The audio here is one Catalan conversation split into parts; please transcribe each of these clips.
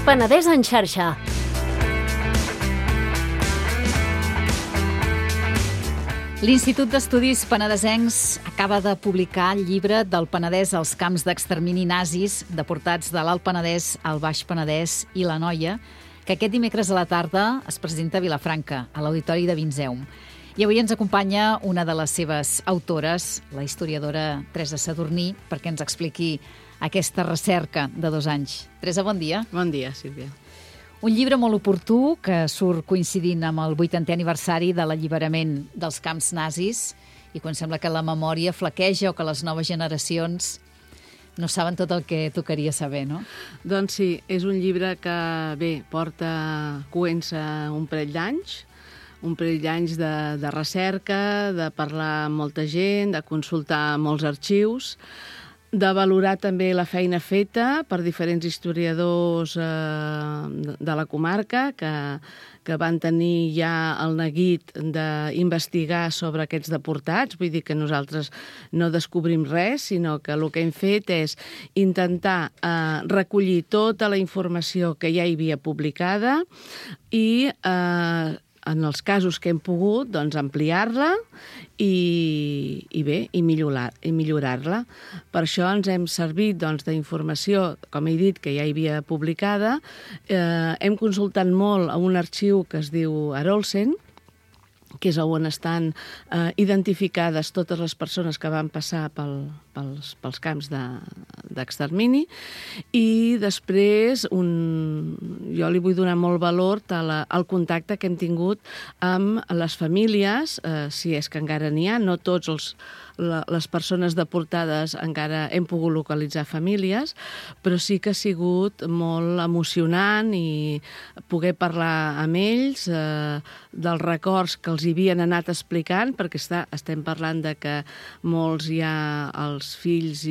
Penedès en xarxa. L'Institut d'Estudis Penedesencs acaba de publicar el llibre del Penedès als camps d'extermini nazis, deportats de l'Alt Penedès al Baix Penedès i l'Anoia, que aquest dimecres a la tarda es presenta a Vilafranca, a l'Auditori de Vinzeum. I avui ens acompanya una de les seves autores, la historiadora Teresa Sadurní, perquè ens expliqui aquesta recerca de 2 anys. Teresa, bon dia. Bon dia, Sílvia. Un llibre molt oportú que surt coincidint amb el 80è aniversari de l'alliberament dels camps nazis i quan sembla que la memòria flaqueja o que les noves generacions no saben tot el que tocaria saber, no? Doncs sí, és un llibre que, bé, porta coents un parell d'anys de recerca, de parlar amb molta gent, de consultar molts arxius, de valorar també la feina feta per diferents historiadors de la comarca que van tenir ja el neguit d'investigar sobre aquests deportats. Vull dir que nosaltres no descobrim res, sinó que el que hem fet és intentar recollir tota la informació que ja hi havia publicada i en els casos que hem pogut, doncs, ampliar-la i millorar-la. Per això ens hem servit d'informació, com he dit, que ja hi havia publicada. Hem consultat molt a un arxiu que es diu Arolsen, que és on estan identificades totes les persones que van passar pels camps d'extermini. I després jo li vull donar molt valor al contacte que hem tingut amb les famílies, si és que encara n'hi ha, no tots les persones deportades encara hem pogut localitzar famílies, però sí que ha sigut molt emocionant i poder parlar amb ells dels records que els havien anat explicant, perquè estem parlant de que molts ja els fills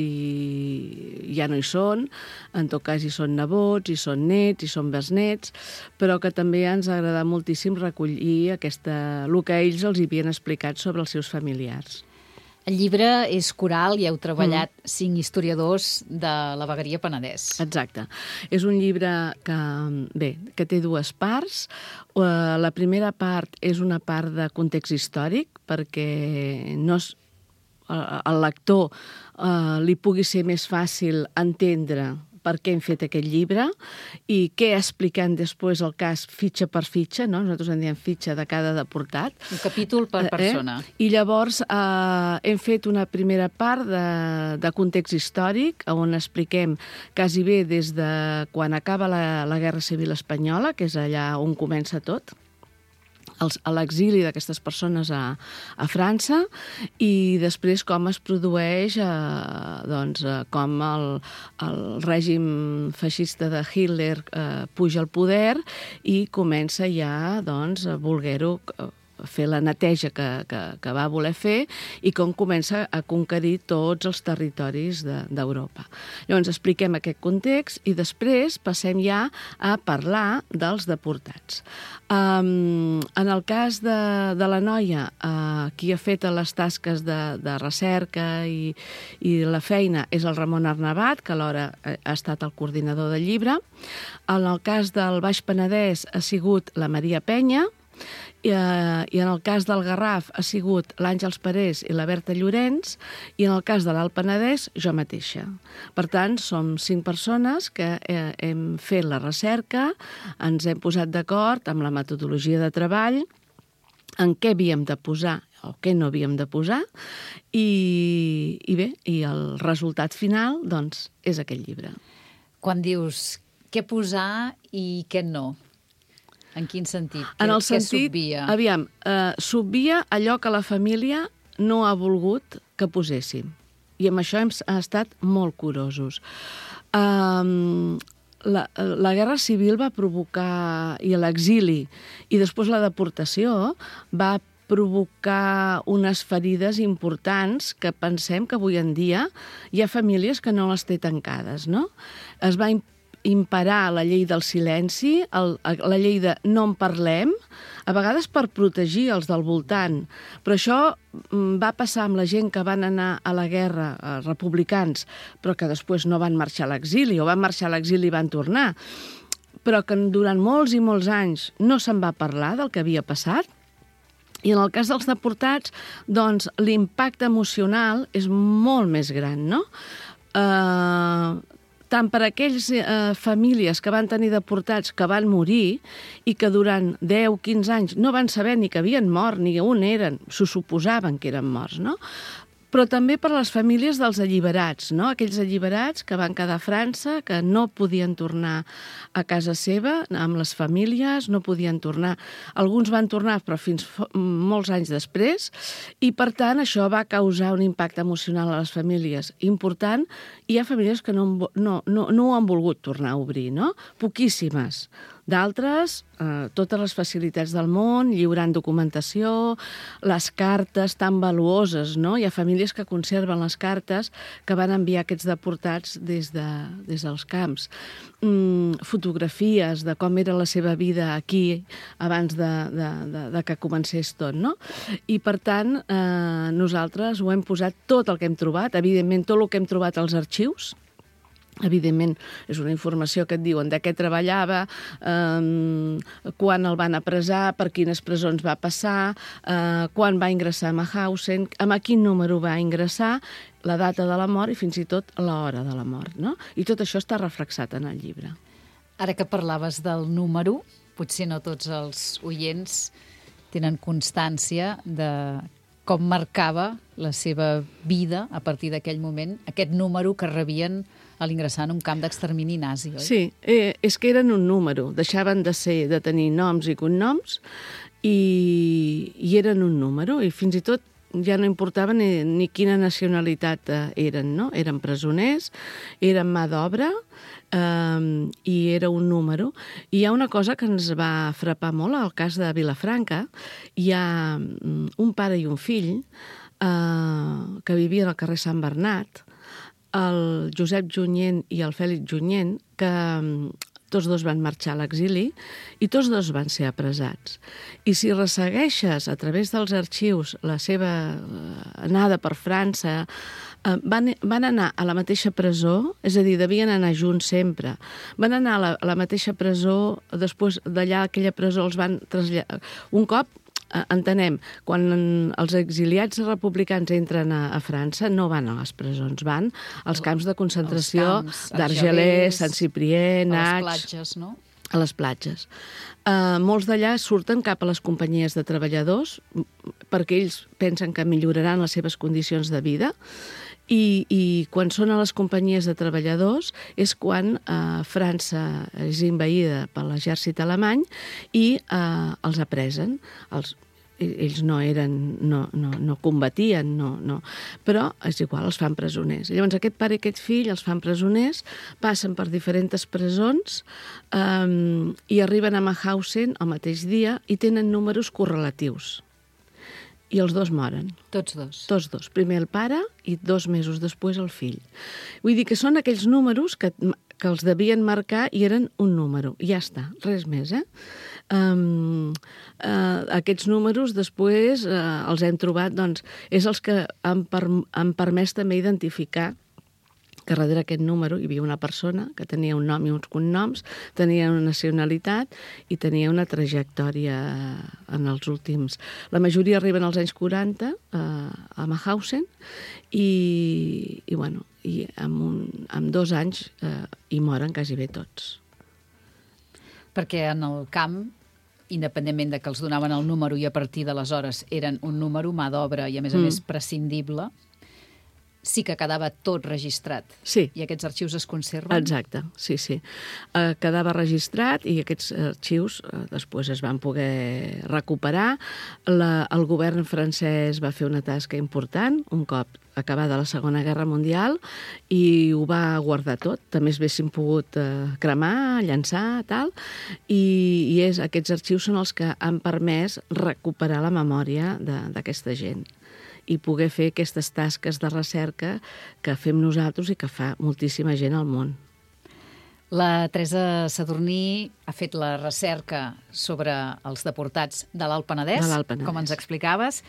ja no hi són, en tot cas hi són nebots, hi són nets, hi són besnets, però que també ens ha agradat moltíssim recollir el que ells els havien explicat sobre els seus familiars. El llibre és coral i heu treballat 5 historiadors de la vegueria Penedès. Exacte. És un llibre que té 2 parts. La primera part és una part de context històric, perquè al lector li pugui ser més fàcil entendre per què hem fet aquest llibre i què expliquen després el cas fitxa per fitxa, no? Nosaltres en diem fitxa de cada deportat. Un capítol per persona. I llavors hem fet una primera part de context històric, on expliquem quasi bé des de quan acaba la Guerra Civil Espanyola, que és allà on comença tot, a l'exili d'aquestes persones a França, i després com es produeix com el règim feixista de Hitler puja al poder i comença ja a voler-ho fer la neteja que va voler fer i com comença a conquerir tots els territoris d'Europa. Llavors expliquem aquest context i després passem ja a parlar dels deportats. En el cas de l'Anoia, qui ha fet les tasques de recerca i la feina és el Ramon Arnabat, que alhora ha estat el coordinador del llibre. En el cas del Baix Penedès ha sigut la Maria Penya, i en el cas del Garraf ha sigut l'Àngels Parés i la Berta Llorenç, i en el cas de l'Alt Penedès, jo mateixa. Per tant, som 5 persones que hem fet la recerca, ens hem posat d'acord amb la metodologia de treball, en què havíem de posar o què no havíem de posar, i el resultat final, doncs, és aquest llibre. Quan dius què posar i què no, en quin sentit? En el sentit, s'obvia allò que la família no ha volgut que poséssim. I amb això hem estat molt curosos. La Guerra Civil va provocar, i l'exili, i després la deportació, va provocar unes ferides importants que pensem que avui en dia hi ha famílies que no les té tancades, no? Es va imperar la llei del silenci, la llei de no en parlem, a vegades per protegir els del voltant. Però això va passar amb la gent que van anar a la guerra, republicans, però que després no van marxar a l'exili, o van marxar a l'exili i van tornar. però que durant molts i molts anys no se'n va parlar del que havia passat. I en el cas dels deportats, doncs, l'impacte emocional és molt més gran, no? Tant per a aquells famílies que van tenir deportats que van morir i que durant 10-15 anys no van saber ni que havien mort, ni on eren, s'ho suposaven que eren morts, no? Però també per a les famílies dels alliberats, no? Aquells alliberats que van quedar a França, que no podien tornar a casa seva amb les famílies, no podien tornar. Alguns van tornar, però fins molts anys després, i per tant això va causar un impacte emocional a les famílies important. Hi ha famílies que no ho han volgut tornar a obrir, no? Poquíssimes. D'altres, totes les facilitats del món, lliurant documentació, les cartes tan valuoses, no? Hi ha famílies que conserven les cartes que van enviar aquests deportats des dels camps. Fotografies de com era la seva vida aquí abans de que comencés tot, no? I, per tant, nosaltres ho hem posat tot el que hem trobat, evidentment tot el que hem trobat als arxius. Evidentment, és una informació que et diuen de què treballava, quan el van apressar, per quines presons va passar, quan va ingressar a Mauthausen, amb quin número va ingressar, la data de la mort i fins i tot l'hora de la mort, no? I tot això està reflexat en el llibre. Ara que parlaves del número, potser no tots els oients tenen constància de com marcava la seva vida a partir d'aquell moment, aquest número que rebien a l'ingressar en un camp d'extermini nazi, oi? Sí, és que eren un número. Deixaven de tenir noms i cognoms i eren un número. I fins i tot ja no importava ni quina nacionalitat eren, no? Eren presoners, eren mà d'obra i era un número. I hi ha una cosa que ens va frapar molt al cas de Vilafranca. Hi ha un pare i un fill que vivien al carrer Sant Bernat, el Josep Junyent i el Fèlix Junyent, que tots dos van marxar a l'exili i tots dos van ser apressats. I si ressegueixes a través dels arxius la seva anada per França, van anar a la mateixa presó, és a dir, devien anar junts sempre. Van anar a la mateixa presó, després d'allà aquella presó els van traslladar. Un cop, entenem, quan els exiliats republicans entren a França, no van a les presons, van als camps de concentració d'Argelers, Sant-Ciprià, Nats... A les platges, no? A les platges. Molts d'allà surten cap a les companyies de treballadors perquè ells pensen que milloraran les seves condicions de vida i quan són a les companyies de treballadors és quan França és envaïda per l'exèrcit alemany i els apresen. Ells no combatien, però és igual, els fan presoners. Llavors aquest pare i aquest fill els fan presoners, passen per diferents presons i arriben a Mauthausen el mateix dia i tenen números correlatius. I els dos moren. Tots dos? Tots dos. Primer el pare i 2 mesos després el fill. Vull dir que són aquells números que els devien marcar i eren un número. I ja està, res més, aquests números després els hem trobat, doncs, és els que han permès també identificar que darrere aquest número hi havia una persona que tenia un nom i uns cognoms, tenia una nacionalitat i tenia una trajectòria en els últims... La majoria arriben als anys 40 a Mauthausen i amb 2 anys hi moren quasi bé tots. Perquè en el camp, independentment de que els donaven el número i a partir d'aleshores eren un número, mà d'obra i a més prescindible, sí que quedava tot registrat. Sí. I aquests arxius es conserven? Exacte, sí. Quedava registrat i aquests arxius després es van poder recuperar. El govern francès va fer una tasca important, un cop acabada la Segona Guerra Mundial, i ho va guardar tot. També es haguessin pogut cremar, llançar, tal, i aquests arxius són els que han permès recuperar la memòria d'aquesta gent i poder fer aquestes tasques de recerca que fem nosaltres i que fa moltíssima gent al món. La Teresa Sadurní ha fet la recerca sobre els deportats de l'Alt Penedès, com ens explicaves.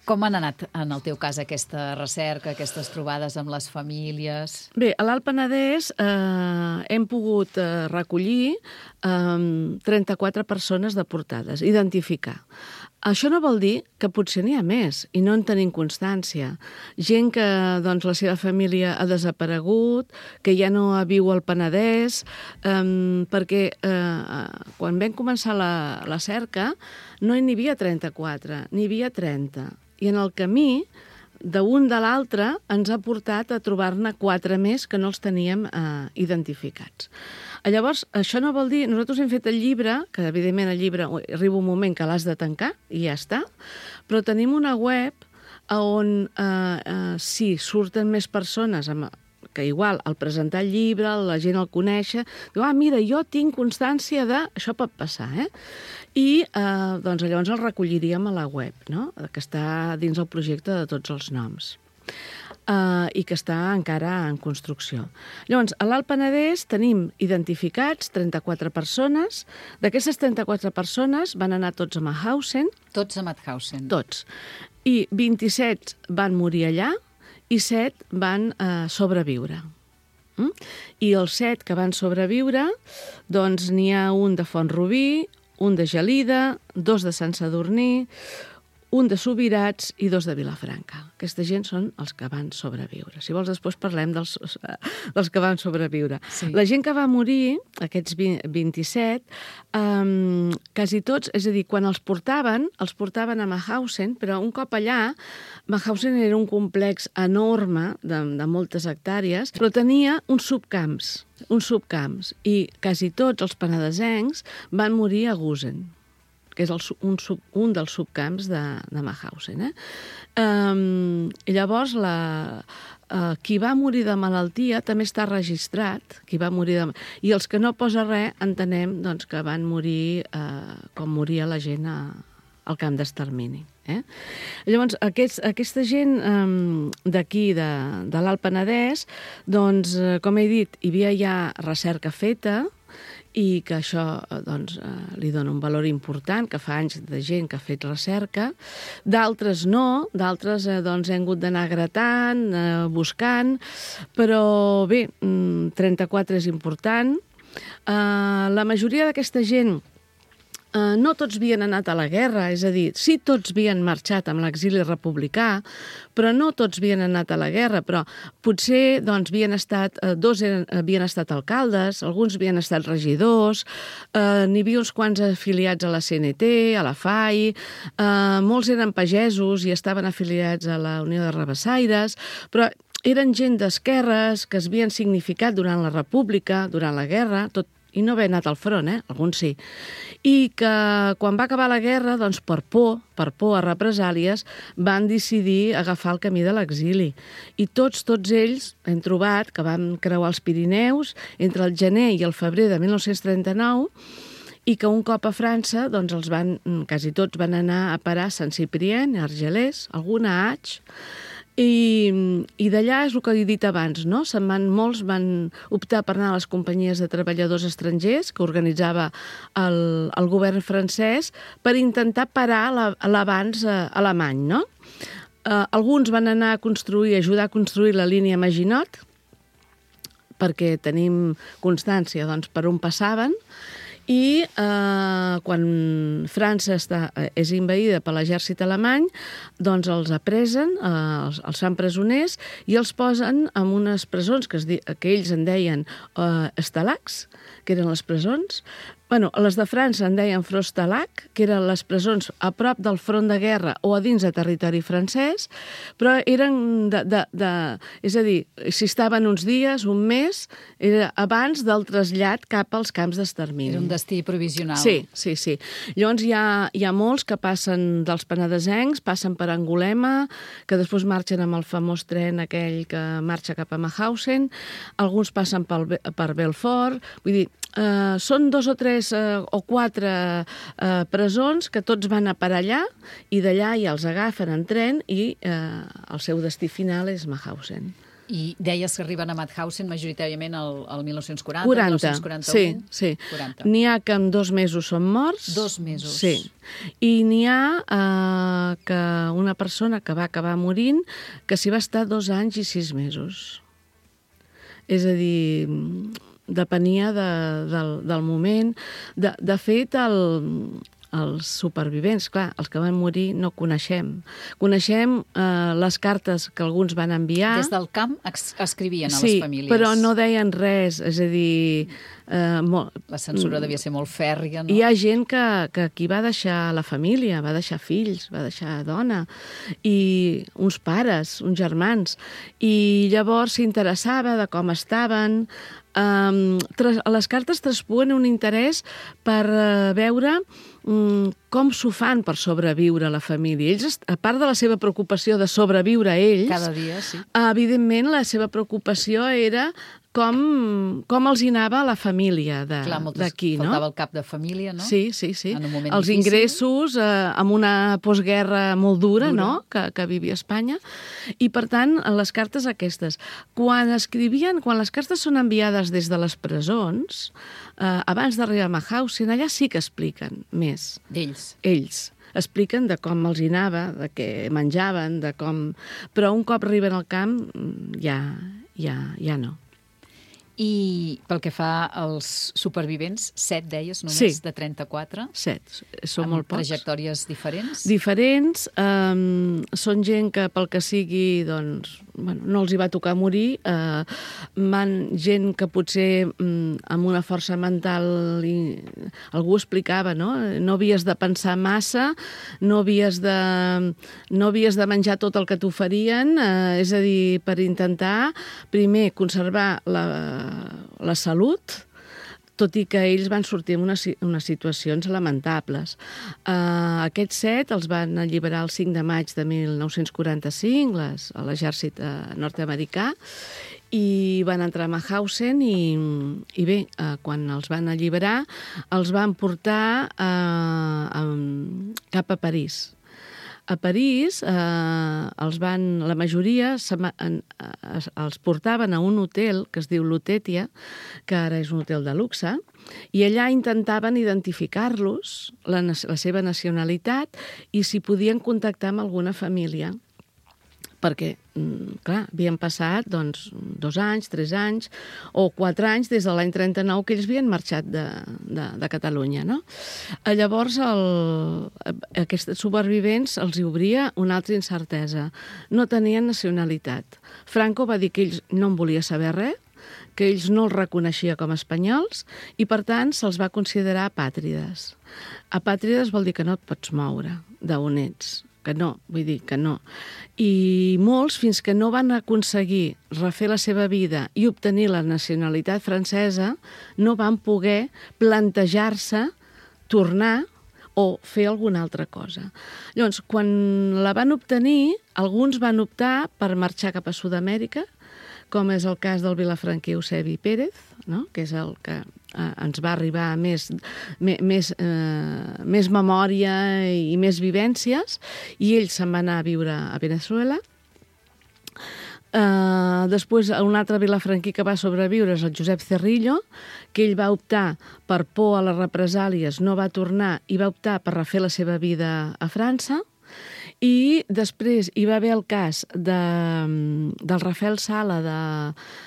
Com han anat, en el teu cas, aquesta recerca, aquestes trobades amb les famílies? Bé, a l'Alt Penedès hem pogut recollir 34 persones deportades, identificar. Això no vol dir que potser n'hi ha més i no en tenim constància. Gent que doncs, la seva família ha desaparegut, que ja no viu al Penedès, perquè quan vam començar la cerca no n'hi havia 34, n'hi havia 30. I en el camí, d'un de l'altre, ens ha portat a trobar-ne 4 més que no els teníem identificats. Llavors, això no vol dir... Nosaltres hem fet el llibre, que evidentment el llibre arriba un moment que l'has de tancar i ja està, però tenim una web on sí, surten més persones que igual al presentar el llibre la gent el coneix, diu, mira, jo tinc constància de... Això pot passar, I doncs llavors el recolliríem a la web, no? Que està dins el projecte de Tots els noms. I que està encara en construcció. Llavors, a l'Alt Penedès tenim identificats 34 persones. D'aquestes 34 persones van anar tots a Mauthausen. Tots a Mauthausen. Tots. I 27 van morir allà i 7 van sobreviure. I els 7 que van sobreviure, doncs n'hi ha un de Font-rubí, un de Gelida, 2 de Sant Sadurní, un de Subirats i 2 de Vilafranca. Aquesta gent són els que van sobreviure. Si vols, després parlem dels que van sobreviure. Sí. La gent que va morir, aquests 27, quasi tots, és a dir, quan els portaven a Mauthausen, però un cop allà, Mauthausen era un complex enorme de moltes hectàrees, però tenia uns subcamps, i quasi tots els penedesencs van morir a Gusen, que és un dels subcamps de Mauthausen. Llavors, qui va morir de malaltia també està registrat, i els que no posa res entenem doncs, que van morir com moria la gent al camp d'extermini. Llavors, aquesta gent d'aquí, de l'Alt Penedès, doncs, com he dit, hi havia ja recerca feta, i que això doncs, li dona un valor important, que fa anys de gent que ha fet recerca. D'altres no, d'altres doncs, hem hagut d'anar gratant, buscant, però bé, 34 és important. La majoria d'aquesta gent no tots havien anat a la guerra, és a dir, sí tots havien marxat amb l'exili republicà, però no tots havien anat a la guerra, però potser doncs, dos havien estat alcaldes, alguns havien estat regidors, n'hi havia uns quants afiliats a la CNT, a la FAI, molts eren pagesos i estaven afiliats a la Unió de Rabassaires, però eren gent d'esquerres que es havien significat durant la República, durant la guerra, i no haver anat al front, alguns sí. I que quan va acabar la guerra, doncs per por a represàlies, van decidir agafar el camí de l'exili. I tots ells hem trobat que van creuar els Pirineus entre el gener i el febrer de 1939 i que un cop a França, doncs quasi tots van anar a parar a Sant Ciprien, a Argelers, alguna a Aix, i d'allà és el que he dit abans, no? Molts van optar per anar a les companyies de treballadors estrangers que organitzava el govern francès per intentar parar l'avanç alemany, no? Alguns van anar a ajudar a construir la línia Maginot, perquè tenim constància doncs, per on passaven, i quan França és invaïda per l'exèrcit alemany, doncs els apresen, els fan presoners i els posen en unes presons que ells en deien estalacs, que eren les presons. Bueno, les de França en deien Frostalag, que eren les presons a prop del front de guerra o a dins de territori francès, però eren és a dir, si estaven uns dies, un mes, era abans del trasllat cap als camps d'extermini. Era un destí provisional. Sí. Llavors hi ha molts que passen dels penedesencs, passen per Angulema, que després marxen amb el famós tren aquell que marxa cap a Mauthausen, alguns passen per Belfort, vull dir, són 2 o 3 o 4 presons que tots van a parar allà i d'allà ja els agafen en tren i el seu destí final és Mauthausen. I deies que arriben a Mauthausen majoritàriament al 1940, 1941? Sí. 40. N'hi ha que en 2 mesos són morts. 2 mesos. Sí. I n'hi ha que una persona que va acabar morint que s'hi va estar 2 anys i 6 mesos. És a dir, depenia del moment. De fet, els supervivents, clar, els que van morir no coneixem. Coneixem les cartes que alguns van enviar. Des del camp escrivien a les famílies. Sí, però no deien res, és a dir... La censura devia ser molt fèrria, no? Hi ha gent que aquí va deixar la família, va deixar fills, va deixar dona, i uns pares, uns germans, i llavors s'interessava de com estaven. Les cartes traspuen un interès per veure com s'ho fan per sobreviure a la família. Ells, a part de la seva preocupació de sobreviure a ells, cada dia, sí. Evidentment la seva preocupació era com els hi anava a la família d'aquí, no? Faltava el cap de família, no? Sí. En un moment els difícil. Ingressos amb una postguerra molt dura, no? Que vivia Espanya. I, per tant, les cartes aquestes. Quan les cartes són enviades des de les presons, abans d'arribar a Mauthausen, allà sí que expliquen més. D'ells. Ells expliquen de com els hi anava, de què menjaven, de com... Però un cop arriben al camp, ja no. I pel que fa als supervivents, 7 deies només, de 34? 7. Són molt pocs. Amb trajectòries diferents? Diferents. Són gent que, pel que sigui, doncs, no els hi va tocar morir. Gent que potser amb una força mental... Algú explicava, no? No havies de pensar massa, no havies de menjar tot el que t'oferien, és a dir, per intentar, primer, conservar la salut, tot i que ells van sortir en unes situacions lamentables. Aquests 7 els van alliberar el 5 de maig de 1945, a l'exèrcit nord-americà, i van entrar a Mauthausen i bé, quan els van alliberar, els van portar cap a París. A París, la majoria els portaven a un hotel que es diu Lutetia, que ara és un hotel de luxe, i allà intentaven identificar-los, la seva nacionalitat, i si podien contactar amb alguna família. Perquè, clar, havien passat 2 anys, 3 anys o 4 anys des de l'any 39 que ells havien marxat de Catalunya, no? Llavors, aquests supervivents els hi obria una altra incertesa. No tenien nacionalitat. Franco va dir que ells no en volia saber res, que ells no els reconeixia com a espanyols i, per tant, se'ls va considerar apàtrides. Apàtrides vol dir que no et pots moure d'on ets. Que no, vull dir que no. I molts, fins que no van aconseguir refer la seva vida i obtenir la nacionalitat francesa, no van poder plantejar-se tornar o fer alguna altra cosa. Llavors, quan la van obtenir, alguns van optar per marxar cap a Sud-amèrica, com és el cas del vilafranquí Eusebi Pérez, no? Que és el que ens va arribar més memòria i més vivències, i ell se'n va anar a viure a Venezuela. Després, un altre vilafranquí que va sobreviure és el Josep Cerrillo, que ell va optar per por a les represàlies, no va tornar i va optar per refer la seva vida a França. I després hi va haver el cas del Rafael Sala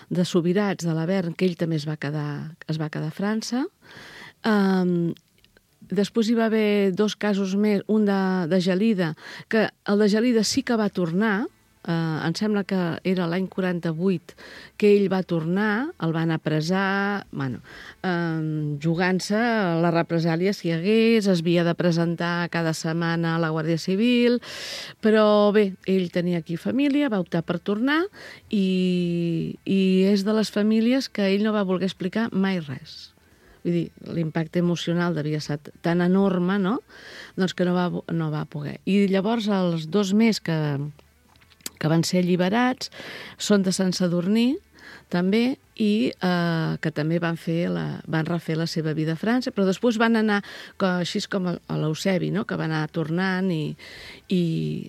de Subirats, de l'Avern, que ell també es va quedar a França. Després hi va haver 2 casos més, un de Gelida, que el de Gelida sí que va tornar, em sembla que era l'any 48 que ell va tornar, el van apressar, jugant-se a la represàlia si hi hagués, es havia de presentar cada setmana a la Guàrdia Civil, però bé, ell tenia aquí família, va optar per tornar i és de les famílies que ell no va voler explicar mai res. Vull dir, l'impacte emocional devia ser tan enorme, no? Doncs que no va poder. I llavors els 2 més que van ser alliberats són de Sant Sadurní, també, i que també van refer la seva vida a França, però després van anar, així com a l'Eusebi, no? Que va anar tornant i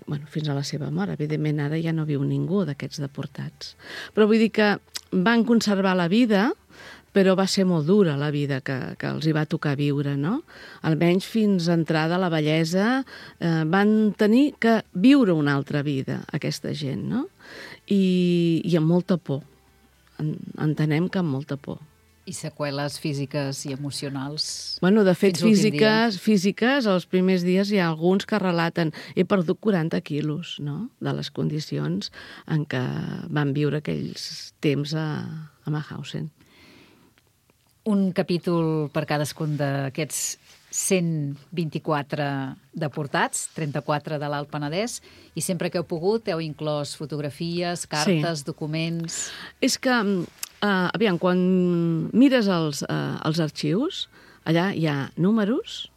bueno, fins a la seva mort. Evidentment, ara ja no viu ningú d'aquests deportats. Però vull dir que van conservar la vida, però va ser molt dura la vida que els hi va tocar viure, no? Almenys fins a entrar de la vellesa van tenir que viure una altra vida, aquesta gent, no? I amb molta por. Entenem que amb molta por. I seqüeles físiques i emocionals. Bueno, de fet, físiques, els primers dies hi ha alguns que relaten he perdut 40 quilos, no?, de les condicions en què van viure aquells temps a Mauthausen. Un capítol per cadascun d'aquests 124 deportats, 34 de l'Alt Penedès, i sempre que heu pogut heu inclòs fotografies, cartes, documents... És que, aviam, quan mires els arxius, allà hi ha números,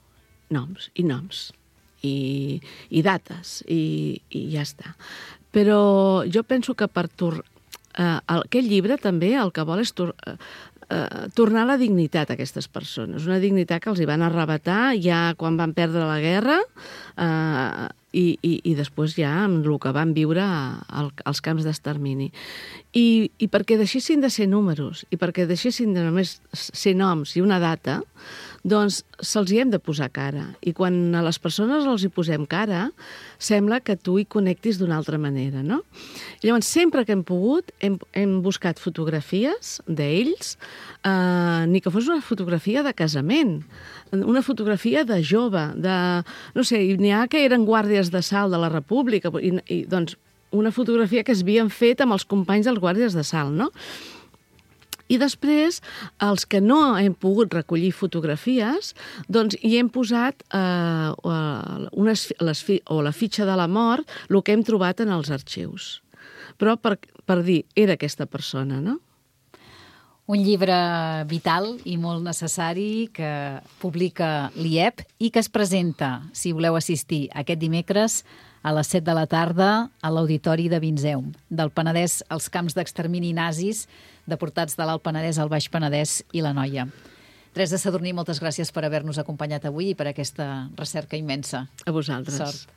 noms i dates, i ja està. Però jo penso que aquest llibre també el que vol és tornar la dignitat a aquestes persones, una dignitat que els hi van arrebatar ja quan van perdre la guerra i després ja amb el que van viure als camps d'extermini. I perquè deixessin de ser números i perquè deixessin de només ser noms i una data, doncs se'ls hi hem de posar cara. I quan a les persones els hi posem cara, sembla que tu hi connectis d'una altra manera, no? Llavors, sempre que hem pogut, hem buscat fotografies d'ells, ni que fos una fotografia de casament, una fotografia de jove, no sé, n'hi ha que eren guàrdies d'assalt de la República, i doncs una fotografia que es havien fet amb els companys dels guàrdies d'assalt, no? I després, els que no hem pogut recollir fotografies, doncs hi hem posat la fitxa de la mort, el que hem trobat en els arxius. Però per dir, era aquesta persona, no? Un llibre vital i molt necessari que publica l'IEP i que es presenta, si voleu assistir, aquest dimecres a les 7 de la tarda a l'Auditori de Vinzeum, del Penedès als camps d'extermini nazis, deportats de l'Alt Penedès, el Baix Penedès i l'Anoia. Teresa Sadurní, moltes gràcies per haver-nos acompanyat avui i per aquesta recerca immensa. A vosaltres. Sort.